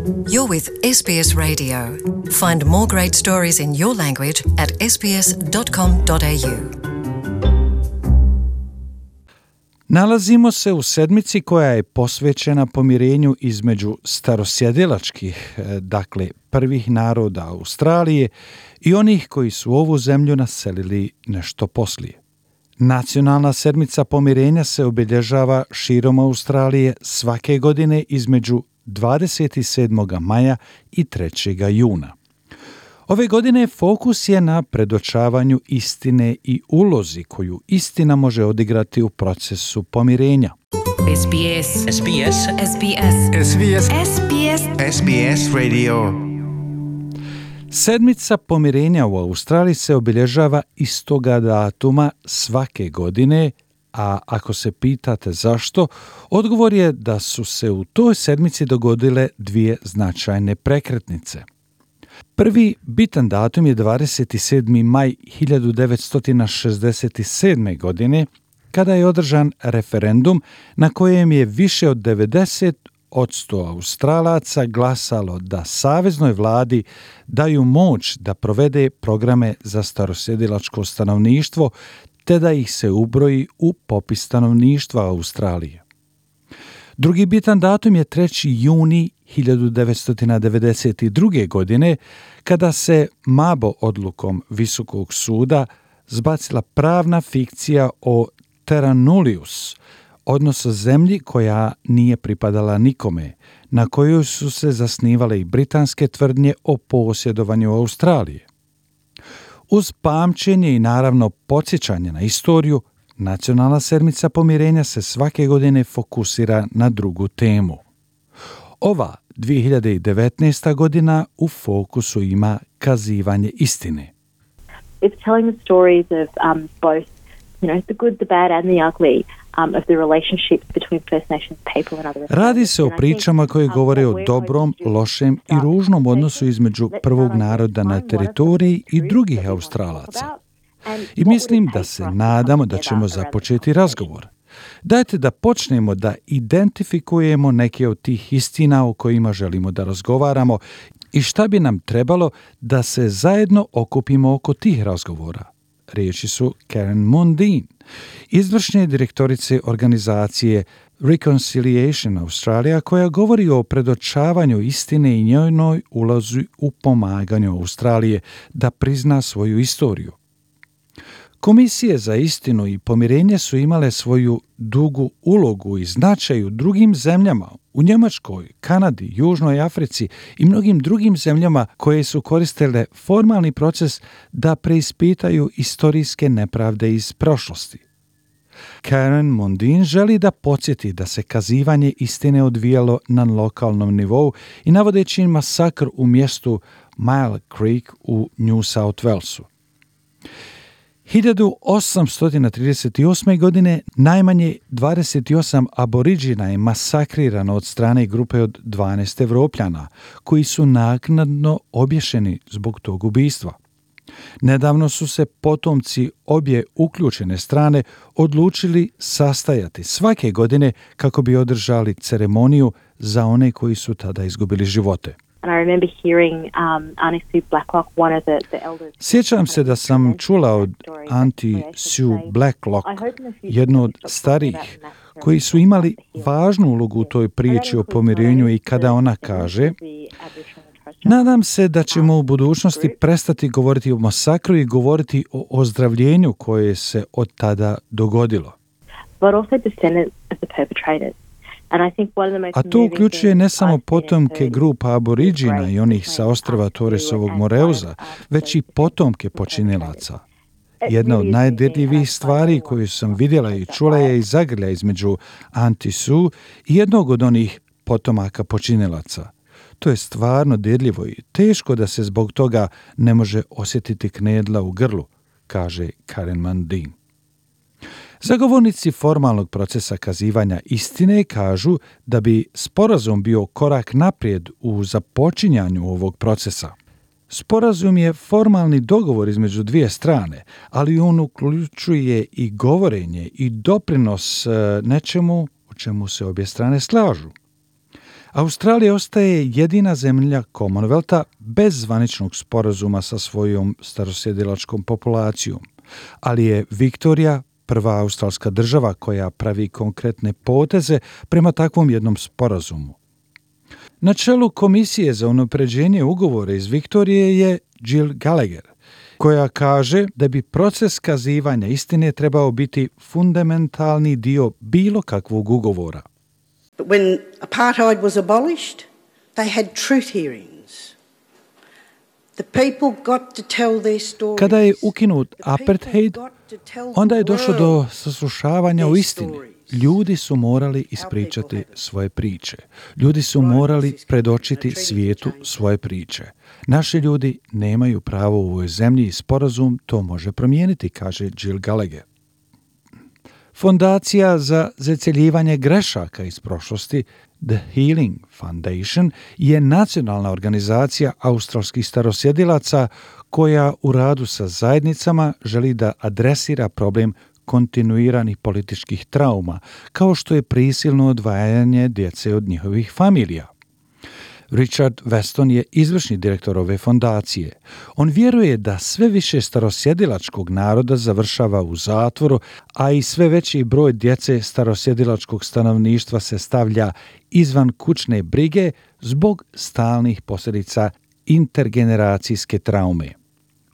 You're with SBS Radio. Find more great stories in your language at sbs.com.au. Nalazimo se u sedmici koja je posvećena pomirenju između starosjedilačkih, dakle prvih naroda Australije i onih koji su ovu zemlju naselili nešto poslije. Nacionalna sedmica pomirenja se obilježava širom Australije svake godine između 27. maja i 3. juna. Ove godine fokus je na predočavanju istine i ulozi koju istina može odigrati u procesu pomirenja. SBS SBS SBS SBS SBS SBS Radio. Sedmica pomirenja u Australiji se obilježava istoga datuma svake godine, a ako se pitate zašto, odgovor je da su se u toj sedmici dogodile dvije značajne prekretnice. Prvi bitan datum je 27. maj 1967. godine, kada je održan referendum na kojem je više od 90% Australaca glasalo da saveznoj vladi daju moć da provede programe za starosjedilačko stanovništvo te da ih se ubroji u popis stanovništva Australije. Drugi bitan datum je 3. juni 1992. godine, kada se Mabo odlukom Visokog suda zbacila pravna fikcija o terra nullius, odnosno zemlji koja nije pripadala nikome, na kojoj su se zasnivale i britanske tvrdnje o posjedovanju Australije. Uz pamćenje i naravno podsjećanje na istoriju, Nacionalna sedmica pomirenja se svake godine fokusira na drugu temu. Ova 2019. godina u fokusu ima kazivanje istine. It's telling the stories of both, the good, the bad and the ugly of the relationships between First Nations people and other. Radi se o pričama koje govore o dobrom, lošem i ružnom odnosu između prvog naroda na teritoriji i drugih Australaca. I mislim da se nadamo da ćemo započeti razgovor. Dajte da počnemo da identifikujemo neke od tih istina o kojima želimo da razgovaramo i šta bi nam trebalo da se zajedno okupimo oko tih razgovora. Riječi su Karen Mundine, izvršne direktorice organizacije Reconciliation Australia, koja govori o predočavanju istine i njenoj ulozi u pomaganju Australije da prizna svoju istoriju. Komisije za istinu i pomirenje su imale svoju dugu ulogu i značaj u drugim zemljama, u Njemačkoj, Kanadi, Južnoj Africi i mnogim drugim zemljama koje su koristile formalni proces da preispitaju istorijske nepravde iz prošlosti. Karen Mundine želi da podsjeti da se kazivanje istine odvijalo na lokalnom nivou i navodeći masakr u mjestu Mile Creek u New South Walesu. 1838. godine najmanje 28 aboriđina je masakrirano od strane grupe od 12 Evropljana, koji su naknadno obješeni zbog tog ubistva. Nedavno su se potomci obje uključene strane odlučili sastajati svake godine kako bi održali ceremoniju za one koji su tada izgubili živote. Sjećam se da sam čula od Auntie Sue Blacklock, jednu od starijih, koji su imali važnu ulogu u toj priči o pomirenju i kada ona kaže: nadam se da ćemo u budućnosti prestati govoriti o masakru i govoriti o ozdravljenju koje se od tada dogodilo. A to uključuje ne samo potomke grupa aboriđina i onih sa ostrva Torresovog Moreuza, već i potomke počinilaca. Jedna od najdirljivijih stvari koju sam vidjela i čula je i zagrlja između Auntie Sue i jednog od onih potomaka počinilaca. To je stvarno dirljivo i teško da se zbog toga ne može osjetiti knedla u grlu, kaže Karen Mundine. Zagovornici formalnog procesa kazivanja istine kažu da bi sporazum bio korak naprijed u započinjanju ovog procesa. Sporazum je formalni dogovor između dvije strane, ali on uključuje i govorenje i doprinos nečemu o čemu se obje strane slažu. Australija ostaje jedina zemlja Commonwealtha bez zvaničnog sporazuma sa svojom starosjedilačkom populacijom, ali je Viktorija prva australska država koja pravi konkretne poteze prema takvom jednom sporazumu. Na čelu Komisije za unapređenje ugovora iz Viktorije je Jill Gallagher, koja kaže da bi proces kazivanja istine trebao biti fundamentalni dio bilo kakvog ugovora. But when apartheid was abolished, they had truth hearings. The people got to tell their stories. Kada je ukinut apartheid, onda je došlo do saslušavanja o istini. Ljudi su morali ispričati svoje priče. Ljudi su morali predočiti svijetu svoje priče. Naši ljudi nemaju pravo u ovoj zemlji i sporazum to može promijeniti, kaže Jill Gallagher. Fondacija za zacjeljivanje grešaka iz prošlosti, The Healing Foundation, je nacionalna organizacija australskih starosjedilaca koja u radu sa zajednicama želi da adresira problem kontinuiranih političkih trauma, kao što je prisilno odvajanje djece od njihovih familija. Richard Weston je izvršni direktor ove fondacije. On vjeruje da sve više starosjedilačkog naroda završava u zatvoru, a i sve veći broj djece starosjedilačkog stanovništva se stavlja izvan kućne brige zbog stalnih posljedica intergeneracijske traume.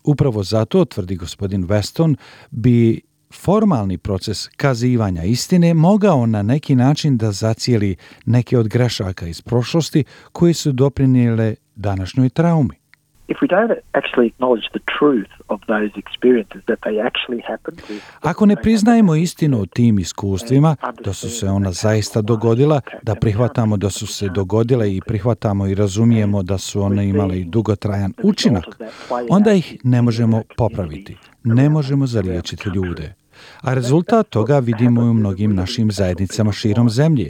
Upravo zato, tvrdi gospodin Weston, bi formalni proces kazivanja istine mogao na neki način da zacijeli neke od grešaka iz prošlosti koje su doprinijele današnjoj traumi. Ako ne priznajemo istinu o tim iskustvima, da su se ona zaista dogodila, da prihvatamo da su se dogodile i prihvatamo i razumijemo da su one imale i dugotrajan učinak, onda ih ne možemo popraviti, ne možemo zaliječiti ljude. A rezultat toga vidimo i u mnogim našim zajednicama širom zemlje.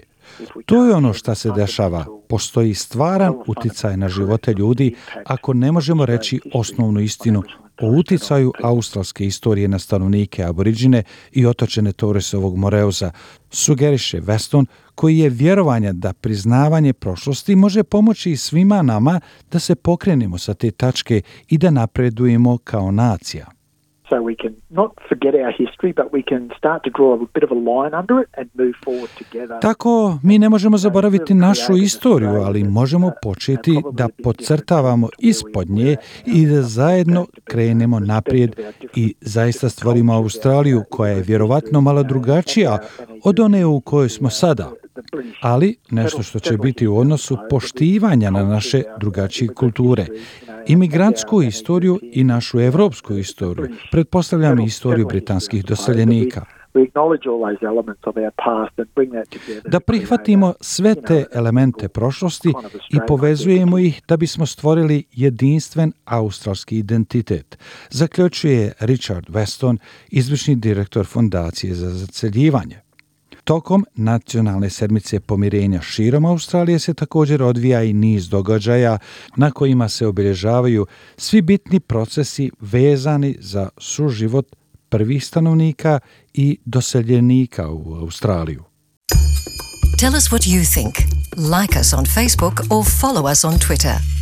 To je ono što se dešava. Postoji stvaran uticaj na živote ljudi ako ne možemo reći osnovnu istinu o uticaju australske istorije na stanovnike Aboriđine i otočene Torresovog Moreuza, sugeriše Weston, koji je vjerovanja da priznavanje prošlosti može pomoći svima nama da se pokrenemo sa te tačke i da napredujemo kao nacija. So we can not forget our history, but we can start to draw a bit of a line under it and move forward together. Tako, mi ne možemo zaboraviti našu istoriju, ali možemo početi da podcrtavamo ispod nje i da zajedno krenemo naprijed i zaista stvorimo Australiju koja je vjerovatno malo drugačija od one u kojoj smo sada, ali nešto što će biti u odnosu poštivanja na naše drugačije kulture. Imigrantsku istoriju i našu evropsku istoriju, pretpostavljam i istoriju britanskih doseljenika. Da prihvatimo sve te elemente prošlosti i povezujemo ih da bismo stvorili jedinstven australski identitet, zaključuje Richard Weston, izvršni direktor Fondacije za zacjeljivanje. Tokom nacionalne sedmice pomirenja širom Australije se također odvija i niz događaja na kojima se obilježavaju svi bitni procesi vezani za suživot prvih stanovnika i doseljenika u Australiju. Tell us what you think. Like us on Facebook or follow us on Twitter.